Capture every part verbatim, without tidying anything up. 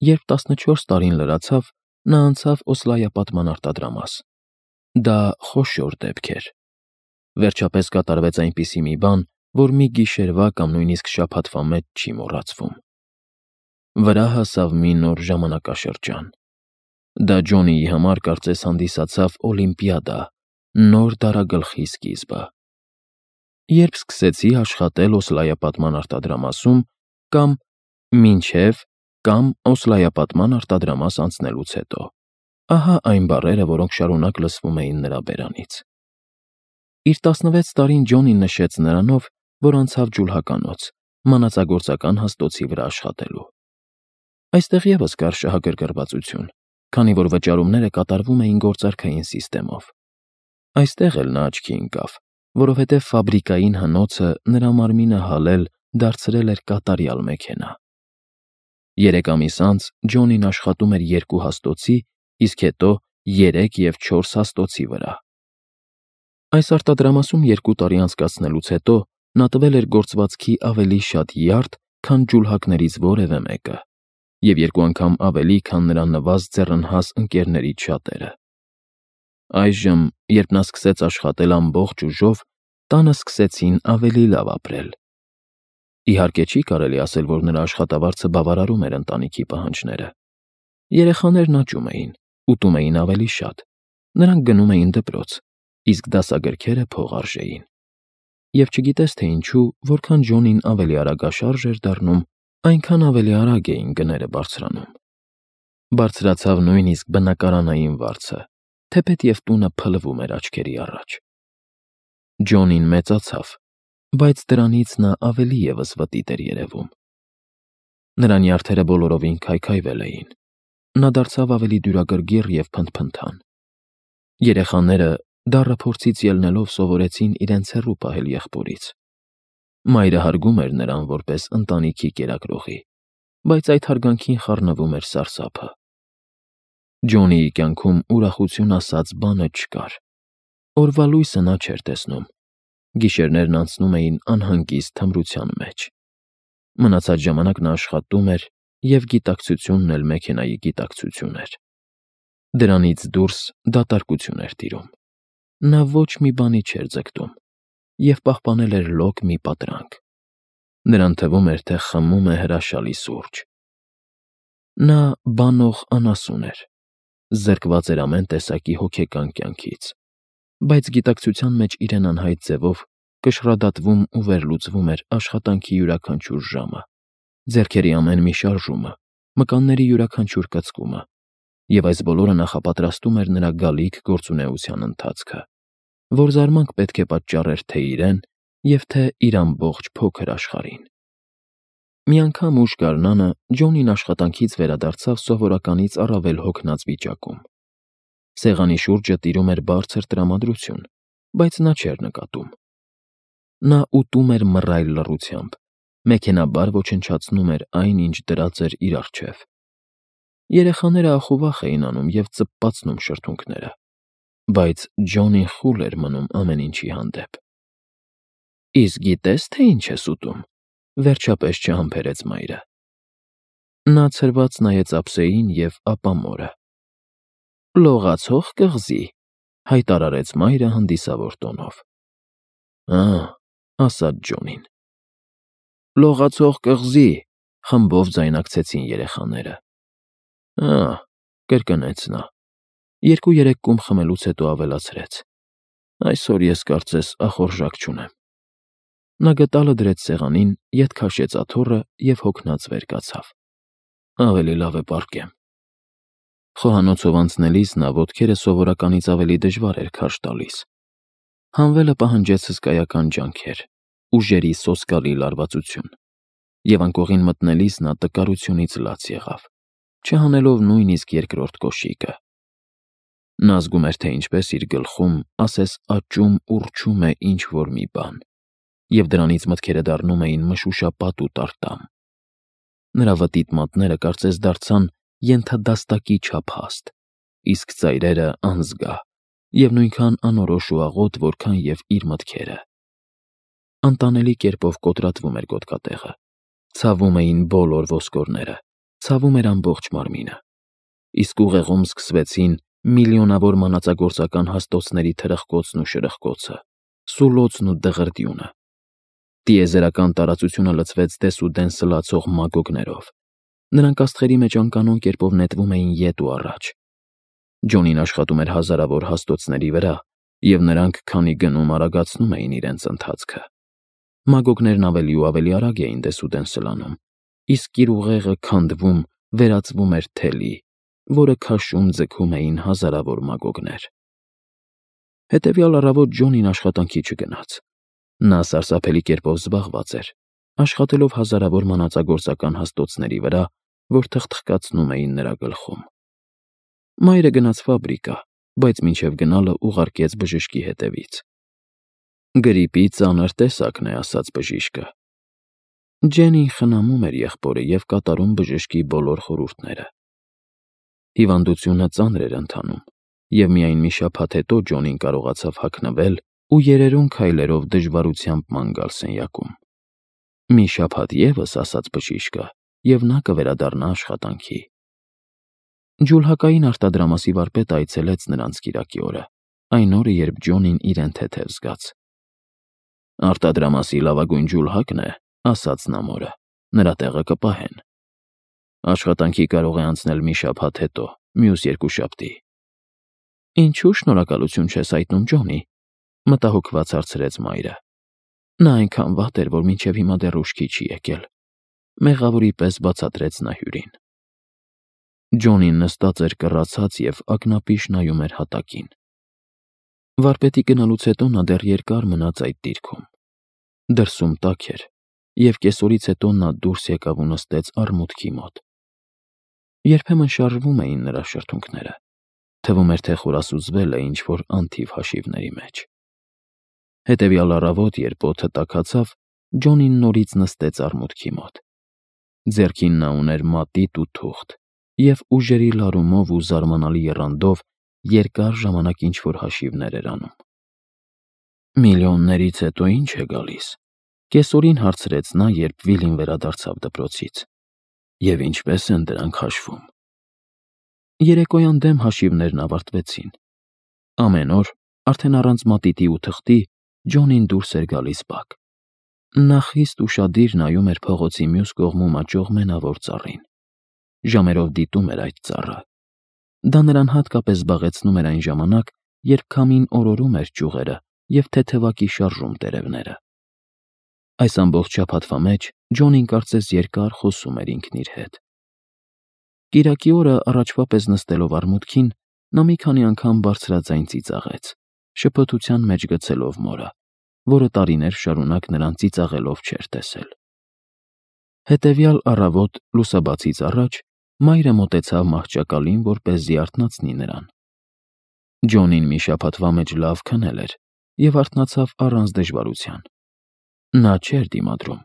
երբ տասնչորս տարին լրացավ, նա անցավ Օսլայապատման արտադրամաս։ Դա խոշոր դեպք էր։ Վերջապես կատարվեց այնպիսի մի բան, որ մի գիշերվա կամ նույնիսկ շաբաթվա մեջ չի մոռացվում։ Վրա հասավ մի նոր ժամանակաշրջան։ Դա Ջոնիի համար կարծես հանդիսացավ օլիմպիադա, նոր դարագլխի սկիզբը։ Երբ սկսեցի աշխատել Օսլայապատման արտադրամասում, կամ մինչև կամ Օսլայապատման արտադրամաս անցնելուց հետո, ահա այն բառերը, որոնք շարունակ լսվում էին նրա բերանից։ Իր տասնվեց տարին Ջոնին նշեց նրանով, որ անցավ ջուլհականոց, մանածագործական հաստոցի վրա աշխատելու։ Այստեղ ևս կար շահագրգռվածություն, քանի որ վճարումները կատարվում էին գործարքային սիստեմով։ Այստեղ էլ նա աչքի ընկավ, որովհետև ֆաբրիկային հնոցը նրա մարմինը հալել դարձրել էր կատարյալ մեքենա։ Երեք ամիս անց Ջոնին աշխատում էր երկու հաստոցի, իսկ հետո երեք և չորս հաստոցի վրա։ Այս արտադրամասում երկու տարի անցկացնելուց հետո նա տվել էր գործվածքի ավելի շատ յարդ, քան ջուլհակներից որևէ մեկը, և երկու անգամ ավելի, քան նրա նվազ ձեռնհաս ընկերներից շատերը։ Այժմ, երբ նա սկսեց աշխատել ամբողջ ուժով, տանը սկսեցին ավելի լավ ապրել։ Իհարկե չի կարելի ասել, որ նրա աշխատավարձը բավարարում էր ընտանիքի պահանջները։ Երեխաներն աճում էին, ուտում էին ավելի շատ, նրանք գնում էին դպրոց, իսկ դասագրքերը փող արժեին։ Եվ չգիտես թե ինչու, որքան Ջոնին ավելի արագաշարժ էր դառնում, այնքան ավելի արագ էին գները բարձրանում։ Բարձրացավ նույնիսկ բնակարանային վարձը, թեպետ և տունը փլվում էր աչքերի առաջ։ Ջոնին մեծացավ, բայց դրանից նա ավելի ևս վտիտ էր երևում։ Նրա նյարդերը բոլորովին քայքայվել էին։ Նա դարձավ ավելի դյուրագրգիռ և փնթփնթան։ Երեխաները, դառը փորձից ելնելով, սովորեցին իրենց հեռու պահել եղբորից։ Մայրը հարգում էր նրան որպես ընտանիքի կերակրողի, բայց այդ հարգանքին խառնվում էր սարսափը։ Ջոնիի կյանքում ուրախություն ասած բանը չկար։ Օրվա լույսը նա չէր տեսնում։ Գիշերներն անցնում էին անհանգիստ թմրության մեջ։ Մնացած ժամանակ նա աշխատում էր, և գիտակցությունն էլ մեքենայի գիտակցություն էր։ Դրանից դուրս դատարկություն էր տիրում։ Նա ոչ մի բանի չէր ձգտում և պահպանել էր լոկ մի պատրանք։ Նրան թվում էր, թե խմում է հրաշալի սուրճ։ Նա բանող անասուն էր, զրկված էր ամեն տեսակի հոգեկան կյանքից, բայց գիտակցության մեջ իրեն անհայտ ձևով կշռադատվում ու վերլուծվում էր աշխատանքի յուրաքանչյուր ժամը, ձեռքերի ամեն մի շարժումը, մկանների յուրաքանչյուր կծկումը, և այս բոլորը նախապատրաստում էր նրա գալիք գործունեության ընթացքը, որ զարմանք պետք է պատճառեր թե իրեն և թե իր ամբողջ փոքր աշխարհին։ Մի անգամ ուշ գարնանը Ջոնին աշխատանքից վերադարձավ սովորականից առավել հոգնած վիճակում։ Սեղանի շուրջը տիրում էր բարձր տրամադրություն, բայց նա չէր նկատում։ Նա ուտում էր մռայլ լռությամբ, մեքենաբար ոչնչացնում էր այն, ինչ դրած էր իր առջև։ Երեխաները ախուվախ էին անում և ծպպացնում շրթունքները, բայց Ջոնին խուլ էր մնում ամեն ինչի հանդեպ։ Իսկ գիտե՞ս, թե ինչ ես ուտում,֊ վերջապես չհամբերեց մայրը։ Նա ցրված նայեց ափսեին և ապա մորը։ Լողացող կղզի,֊ հայտարարեց մայրը հանդիսավոր տոնով։ Ա՛, ասաց Ջոնին։ Լողացող կղզի,֊ խմբով ձայնակցեցին երեխաները։ Ա՛, կրկնեց նա։ Երկու-երեք կում խմելուց հետո ավելացրեց. Այսօր ես կարծես ախորժակ չունեմ։ Նա գդալը դրեց սեղանին, ետ քաշեց աթոռը և հոգնած վեր կացավ։ Ավելի լավ է պառկեմ։ Խոհանոցով անցնելիս նա ոտքերը սովորականից ավելի դժվար էր քարշ տալիս։ Հանվելը պահանջեց հսկայական ջանքեր, ուժերի սոսկալի լարվածություն, և անկողին մտնելիս նա տկարությունից լաց եղավ, չհանելով նույնիսկ երկրորդ կոշիկը։ Նա զգում էր, թե ինչպես իր գլխում, ասես աճում, ուռչում է ինչ֊որ մի բան, և դրանից մտքերը դառնում էին մշուշապատ ու տարտամ։ Նրա վտիտ մատները կարծես դարձան ենթադաստակի չափ հաստ, իսկ ծայրերը անզգա և նույնքան անորոշ ու աղոտ, որքան և իր մտքերը։ Անտանելի կերպով կոտրատվում էր գոտկատեղը, ցավում էին բոլոր ոսկորները, ցավում էր ամբողջ մարմինը, իսկ ուղեղում սկսվեցին միլիոնավոր մանածագործական հաստոցների թրխկոցն ու շրխկոցը, սուլոցն ու դղրդյունը։ Տիեզերական տարածությունը լցվեց դեսուդեն սլացող մագոգներով։ Նրանք աստղերի մեջ անկանոն կերպով նետվում էին ետ ու առաջ։ Ջոնին աշխատում էր հազարավոր հաստոցների վրա, և նրանք քանի գնում արագացնում էին իրենց ընթացքը։ Մագոգներն ավելի ու ավելի արագ էին դեսուդեն սլանում, իսկ իր ուղեղը քանդվում, վերածվում էր թելի, որը քաշում ձգում էին հազարավոր մագոգներ։ Հետևյալ առավոտ Ջոնին աշխատանքի չգնաց։ Նա սարսափելի կերպով զբաղված էր, աշխատելով հազարավոր մանածագործական հաստոցների վրա, որ թխթխկացնում էին նրա գլխում։ Մայրը գնաց ֆաբրիկա, բայց մինչև գնալը ուղարկեց բժշկի հետևից։ Գրիպի ծանր տեսակն է, ասաց բժիշկը։ Ջենին խնամում էր եղբորը և կատարում բժշկի բոլոր խորհուրդները։ Հիվանդությունը ծանր էր ընթանում, և միայն մի շաբաթ հետո Ջոնին կարողացավ հագնվել ու երերուն քայլերով դժվարությամբ ման գալ սենյակում։ Մի շաբաթ ևս, ասաց բժիշկը, և նա կվերադառնա աշխատանքի։ Ջուլհակային արտադրամասի վարպետը այցելեց նրանց կիրակի օրը, այն օրը, երբ Ջոնին իրեն թեթև զգաց։ Արտադրամասի լավագույն ջուլհակն է, ասաց նա մորը, նրա տեղը կպահեն։ Աշխատանքի կարող է անցնել մի շաբաթ հետո, մյուս երկուշաբթի։ Ինչու՞ շնորհակալություն չես հայտնում Ջոնի, մտահոգված հարցրեց մայրը։ Նա այնքան վատ էր, որ մինչև հիմա դեռ ուշքի չի եկել, մեղավորի պես բացատրեց նա հյուրին։ Ջոնին նստած էր կռացած և ակնապիշ նայում էր հատակին։ Վարպետի գնալուց հետո նա դեռ երկար մնաց այդ դիրքում։ Դրսում տաք էր, և կեսօրից հետո նա դուրս եկավ ու նստեց առմուտքի մոտ։ Երբեմն շարժվում էին նրա շրթունքները, թվում էր, թե խորասուզվել է ինչ-որ անթիվ հաշիվների մեջ։ Հետևյալ առավոտ, երբ օդը տաքացավ, Ջոնին նորից նստեց առմուտքի մոտ։ Ձեռքին նա ուներ մատիտ ու թուղթ, և ուժերի լարումով ու զարմանալի եռանդով երկար ժամանակ ինչ-որ հաշիվներ էր անում։ Միլիոններից հետո ի՞նչ է գալիս, կեսօրին հարցրեց նա, երբ Վիլին վերադարձավ դպրոցից։ Եվ ինչպե՞ս են դրանք հաշվում։ Երեկոյան դեմ հաշիվներն ավարտվեցին։ Ամեն օր, արդեն առանց մատիտի ու թղթի, Ջոնին դուրս էր գալիս բակ։ Նա խիստ ուշադիր նայում էր փողոցի մյուս կողմում աճող մենավոր ծառին։ Ժամերով դիտում էր այդ ծառը։ Դա նրան հատկապես զբաղեցնում էր այն ժամանակ, երբ քամին օրորում էր ճյուղերը և թեթևակի շարժում տերևները։ Այս ամբողջ շաբաթվա մեջ Ջոնին կարծես երկար խոսում էր ինքն իր հետ։ Կիրակի օրը առաջվա պես նստելով առմուտքին, նա մի քանի անգամ բարձրաձայն ծիծաղեց, շփոթության մեջ գցելով մորը, որը տարիներ շարունակ նրան ծիծաղելով չէր տեսել։ Հետևյալ առավոտ լուսաբացից առաջ մայրը մոտեցավ մահճակալին, որպեսզի արթնացնի նրան։ Ջոնին մի շաբաթվա մեջ լավ քնել էր և արթնացավ առանց դժվարության։ Նա չէր դիմադրում,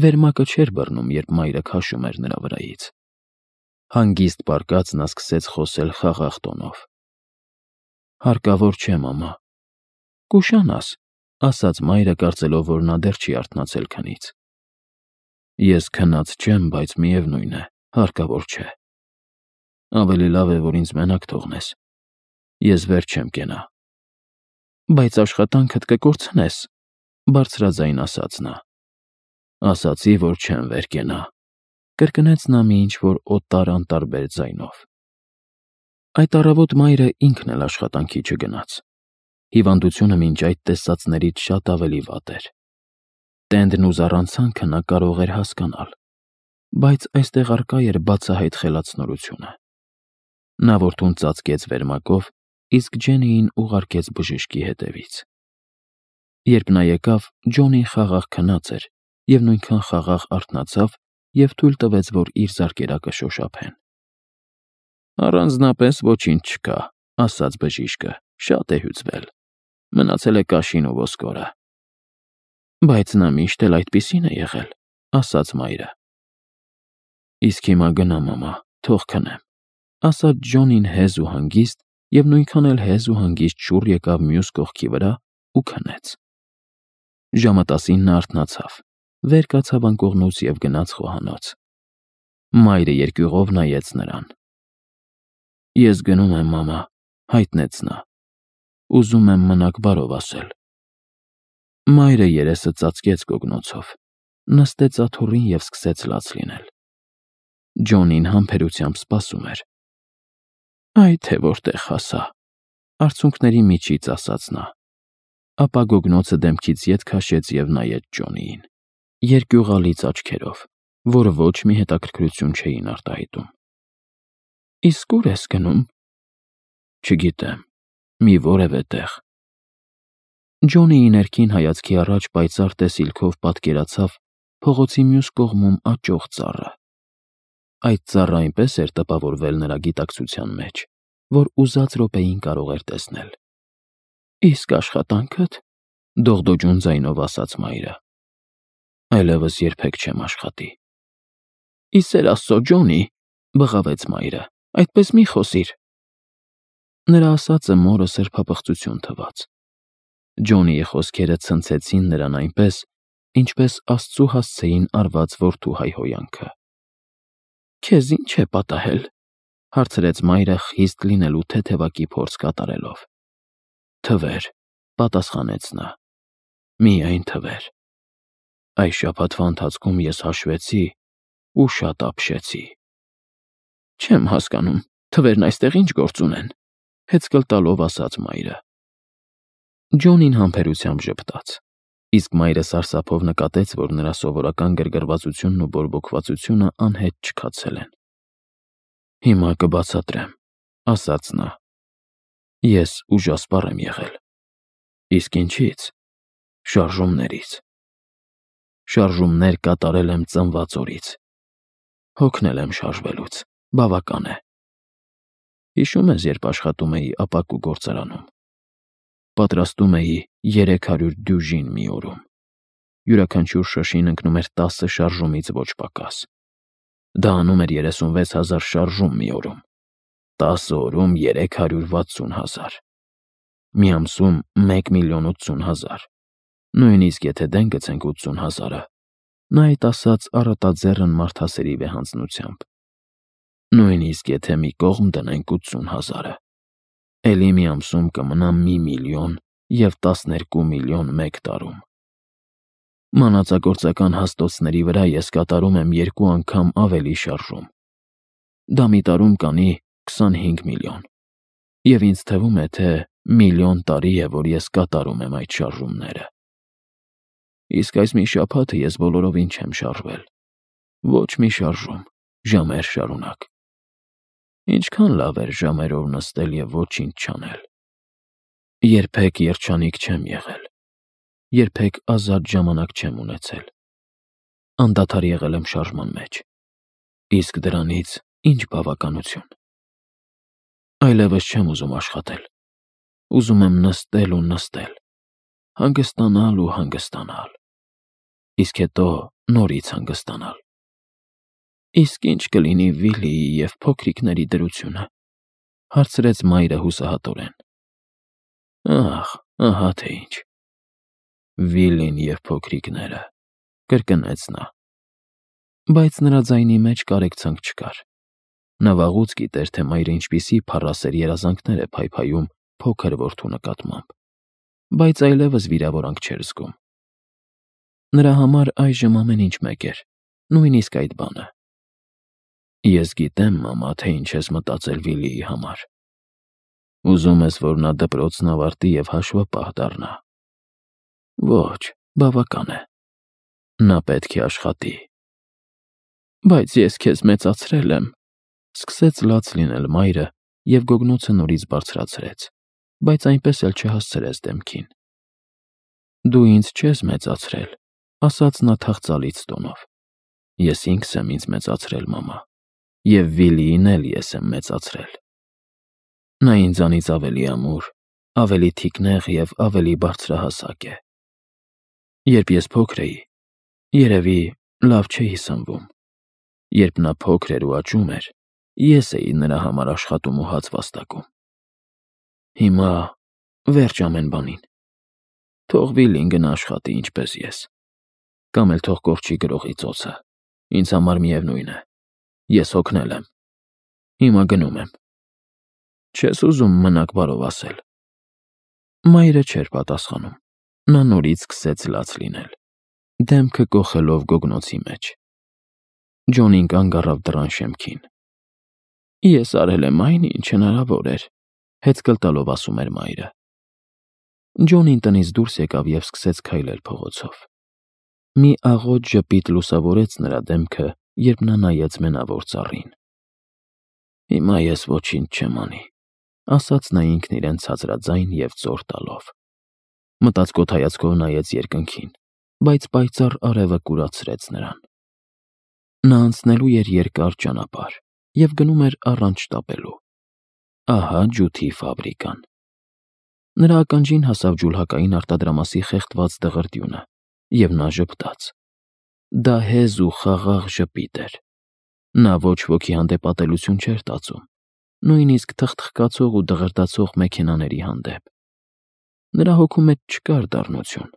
վերմակը չէր բռնում, երբ մայրը քաշում էր նրա վրայից։ Հանգիստ պառկած նա սկսեց խոսել խաղաղ տոնով։ Հարկավոր չէ, մամա։ Կուշանաս, ասաց մայրը, կարծելով, որ նա դեռ չի արթնացել քնից։ Ես քնած չեմ, բայց միևնույն է, հարկավոր չէ։ Ավելի լավ է, որ ինձ մենակ թողնես։ Ես վեր չեմ կենա։ Բայց աշխատանքդ կկորցնես, բարձրաձայն ասաց նա։ Ասացի, որ չեմ վեր կենա, կրկնեց նա մի ինչ-որ օտար անտարբեր ձայնով։ Այդ առավոտ մայրը ինքն էլ աշխատանքի չգնաց։ Հիվանդությունը մինչ այդ տեսածներից շատ ավելի վատ էր։ Տենդն ու զառանցանքը նա կարող էր հասկանալ, բայց այստեղ առկա էր բացահայտ խելացնորությունը։ Նա որդուն ծածկեց վերմակով, իսկ Ջեննիին ուղարկեց բժշկի հետևից։ Երբ նա եկավ, Ջոնին խաղաղ քնած էր և նույնքան խաղաղ արթնացավ և թույլ տվեց, որ իր զարկերակը շոշափեն։ Առանձնապես ոչինչ չկա, ասաց բժիշկը, շատ է հյուծվել, մնացել է կաշին ու ոսկորը։ Բայց նա միշտ էլ այդպիսին է եղել, ասաց մայրը։ Իսկ հիմա գնա, մամա, թող քնեմ, ասաց Ջոնին հեզ ու հանգիստ և նույնքան էլ հեզ ու հանգիստ շուռ եկավ մյուս կողքի վրա ու քնեց։ Ժամը տասին նա արթնացավ, վեր կացավ անկողնուց և գնաց խոհանոց։ Մայրը երկյուղով նայեց նրան։ Ես գնում եմ, մամա, հայտնեց նա։ Ուզում եմ մնաք բարով ասել։ Մայրը երեսը ծածկեց գոգնոցով, նստեց աթոռին և սկսեց լաց լինել։ Ջոնին համբերությամբ սպասում էր։ Այ թե որտեղ հասա, արցունքների միջից ասաց նա։ Ապա գոգնոցը դեմքից ետ քաշեց և նայեց Ջոնիին, երկյուղալից աչքերով, որը ոչ մի հետաքրքրություն չէին արտահայտում։ Իսկ ուր ես գնում։ Չգիտեմ, մի որևէ տեղ։ Ջոնիի ներքին հայացքի առաջ պայծառ տեսիլքով պատկերացավ փողոցի մյուս կողմում աճող ծառը։ Այդ ծառը այնպես էր տպավորվել նրա գիտակցության մեջ, որ ուզած րոպեին կարող էր տեսնել։ Իսկ աշխատանքդ, դողդոջուն ձայնով ասաց մայրը։ Այլևս երբեք չեմ աշխատի։ Ի սեր Աստծո, Ջոնի, բղավեց մայրը, այդպես մի խոսիր։ Նրա ասածը մորը սրբապղծություն թվաց։ Ջոնիի խոսքերը ցնցեցին նրան այնպես, ինչպես Աստծու հասցեին արված որդու հայհոյանքը։ Քեզ ի՞նչ է պատահել, հարցրեց մայրը խիստ լինելու թեթևակի փորձ կատարելով։ Թվեր, պատասխանեց նա։ Միայն թվեր։ Այս շաբաթվա ընթացքում ես հաշվեցի ու շատ ապշեցի։ Չեմ հասկանում, թվերն այստեղ ինչ գործ ունեն, հեծկլ տալով ասաց մայրը։ Ջոնին համբերությամբ ժպտաց, իսկ մայրը սարսափով նկատեց, որ նրա սովորական գրգռվածությունն ու բորբոքվածությունը անհետ չքացել են։ Հիմա կբացատրեմ, ասաց նա։ Ես ուժասպառ եմ եղել։ Իսկ ինչից։ Շարժումներից։ Շարժումներ կատարել եմ ծնված օրից։ Հոգնել եմ շարժվելուց, բավական է։ Հիշում ես, երբ աշխատում էի ապակու գործարանում։ Պատրաստում էի երեք հարյուր դյուժին մի օրում։ Յուրաքանչյուր շշին ընկնում էր տասը շարժումից ոչ պակաս։ Դա անում էր երեսունվեց հազար շարժում մի օրում։ տասը օրում երեք հարյուր վաթսուն հազար։ Մի ամսում մեկ միլիոն ութսուն հազար։ Նույնիսկ եթե դեն գցենք ութսուն հազարը, նա այդ ասաց առատաձեռն մարդասերի վեհանձնությամբ։ Նույնիսկ եթե մի կողմ դնենք ութսուն հազարը, էլի մի ամսում կմնա մի միլիոն և տասներկու միլիոն մեկ տարում։ Մանածագործական հաստոցների վրա ես կատարում եմ երկու անգամ ավելի շարժում։ Դա մի տարում կանի քսանհինգ միլիոն։ Եվ ինձ թվում է, թե միլիոն տարի է, որ ես կատարում եմ այդ շարժումները։ Իսկ այս մի շաբաթը ես բոլորովին չեմ շարժվել։ Ոչ մի շարժում, ժամեր շարունակ։ Ինչքան լավ էր ժամերով նստել և ոչինչ չանել։ Երբեք երջանիկ չեմ եղել։ Երբեք ազատ ժամանակ չեմ ունեցել։ Անդադար եղել եմ շարժման մեջ։ Իսկ դրանից ինչ բավականություն։ Այլևս չեմ ուզում աշխատել։ Ուզում եմ նստել ու նստել, հանգստանալ ու հանգստանալ, իսկ հետո նորից հանգստանալ։ Իսկ ինչ կլինի Վիլիի և փոքրիկների դրությունը, հարցրեց մայրը հուսահատորեն։ Ահ, ահա թե ինչ։ Վիլին և փոքրիկները, կրկնեց նա։ Բայց նրա ձայնի մեջ կարեկցանք չկար։ Նա վաղուց գիտեր, թե մայրը ինչպիսի փառասեր երազանքներ է փայփայում փոքր որդու նկատմամբ, բայց այլևս վիրավորանք չէր զգում։ Նրա համար այժմ ամեն ինչ մեկ էր, նույնիսկ այդ բանը։ Ես գիտեմ, մամա, թե ինչ ես մտածել Վիլիի համար։ Ուզում ես, որ նա դպրոցն ավարտի և հաշվապահ դառնա։ Ոչ, բավական է։ Նա պետք է աշխատի։ Բայց ես քեզ մեծացրել եմ, սկսեց լաց լինել մայրը և գոգնոցը նորից բարձրացրեց, բայց այնպես էլ չհասցրեց դեմքին։ Դու ինձ չես մեծացրել, ասաց նա թախծալից տոնով։ Ես ինքս եմ ինձ մեծացրել, մամա, և Վիլիին էլ ես եմ մեծացրել։ Նա ինձանից ավելի ամուր, ավելի թիկնեղ և ավելի բարձրահասակ է։ Երբ ես փոքր էի, երևի լավ չէի սնվում։ Երբ նա փոքր էր ու աճում էր, ես էի նրա համար աշխատում ու հաց վաստակում։ Հիմա վերջ ամեն բանին։ Թող Վիլին գնա աշխատի ինչպես ես։ Կամ էլ թող կորչի գրողի ծոցը, ինձ համար միևնույն է։ Ես հոգնել եմ։ Հիմա գնում եմ։ Չես ուզում մնաք բարով ասել։ Մայրը չէր պատասխանում։ Նա նորից սկսեց լաց լինել, դեմքը կոխելով գոգնոցի մեջ։ Ջոնին կանգ առավ դռան շեմքին։ Ես արել եմ այն, ինչ հնարավոր էր, հեծկլ տալով ասում էր մայրը։ Ջոնին տնից դուրս եկավ և սկսեց քայլել փողոցով։ Մի աղոտ ժպիտ լուսավորեց նրա դեմքը, երբ նա նայեց մենավոր ծառին։ Հիմա ես ոչինչ չեմ անի, ասաց նա ինքն իրեն ցածրաձայն և ծոր տալով։ Մտածկոտ հայացքով նայեց երկնքին, բայց պայծառ արևը կուրացրեց նրան։ Նա անցնելու էր երկար ճանապարհ և գնում էր առանց շտապելու։ Ահա ջութի ֆաբրիկան։ Նրա ականջին հասավ ջուլհակային արտադրամասի խեղդված դղրդյունը, և նա ժպտաց։ Դա հեզ ու խաղաղ ժպիտ էր։ Նա ոչ ոքի հանդեպ ատելություն չէր տածում, նույնիսկ թխթխկացող ու դղրդացող մեքենաների հանդեպ։ Նրա հոգու մեջ չկար դառնություն,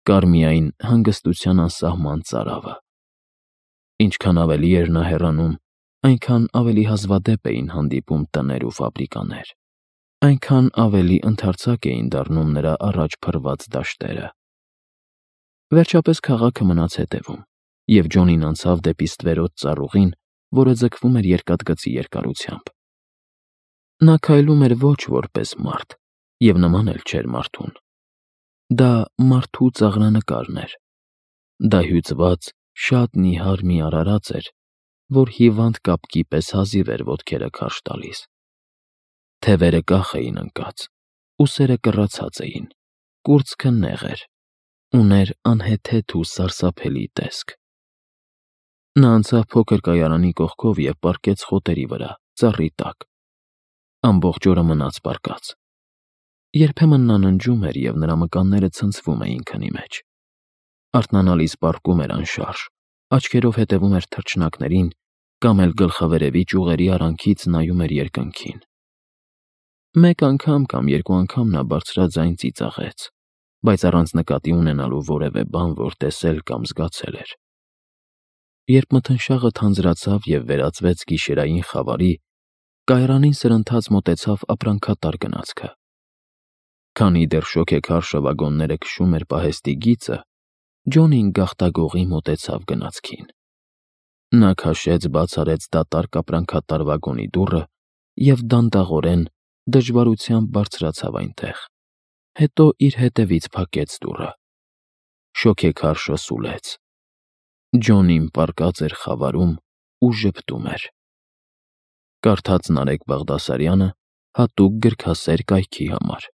կար միայն հանգստության անսահման ծարավը։ Ինչքան ավելի էր նա հեռանում, այնքան ավելի հազվադեպ էին հանդիպում տներ ու ֆաբրիկաներ, այնքան ավելի ընդարձակ էին դառնում նրա առաջ փռված դաշտերը։ Վերջապես քաղաքը մնաց հետևում, և Ջոնին անցավ դեպի ստվերոտ ծառուղին, որը ձգվում էր երկաթգծի երկարությամբ։ Նա քայլում էր ոչ որպես մարդ, և նման էլ չէր մարդուն։ Դա մարդու ծաղրանկարն էր։ Դա հյուծված, շատ նիհար մի արարած էր, որ հիվանդ կապկի պես հազիվ էր ոտքերը քարշ տալիս։ Թևերը կախ էին ընկած, ուսերը կռացած էին, կուրծքը նեղ էր, ուներ անհեթեթ ու սարսափելի տեսք։ Նա անցավ փոքր կայարանի կողքով և պառկեց խոտերի վրա, ծառի տակ։ Ամբողջ օրը մնաց պառկած։ Երբեմն նա ննջում էր, և նրա մկանները ցնցվում էին քնի մեջ։ Արթնանալիս պառկում էր անշարժ, աչքերով հետևում էր թռչնակներին կամ էլ գլխավերևի ճյուղերի արանքից նայում էր երկնքին։ Մեկ անգամ կամ երկու անգամ նա բարձրաձայն ծիծաղեց, բայց առանց նկատի ունենալու որևէ բան, որ տեսել կամ զգացել էր։ Երբ մթնշաղը թանձրացավ և վերածվեց գիշերային խավարի, կայարանին սրընթաց մոտեցավ ապրանքատար գնացքը։ Քանի դեռ շոգեքարշը վագոնները քշում էր պահեստի գիծը, Ջոնին գաղտագողի մոտեցավ գնացքին։ Նա քաշեց բաց արեց դատարկ ապրանքատար վագոնի դուռը և դանդաղորեն, դժվարությամբ բարձրացավ այնտեղ, հետո իր հետևից փակեց դուռը։ Շոգեքարշը սուլեց։ Ջոնին պառկած էր խավարում ու ժպտում էր։ Կարդաց Նարեկ Բաղդասարյանը հատուկ գրքասեր կայքի համար։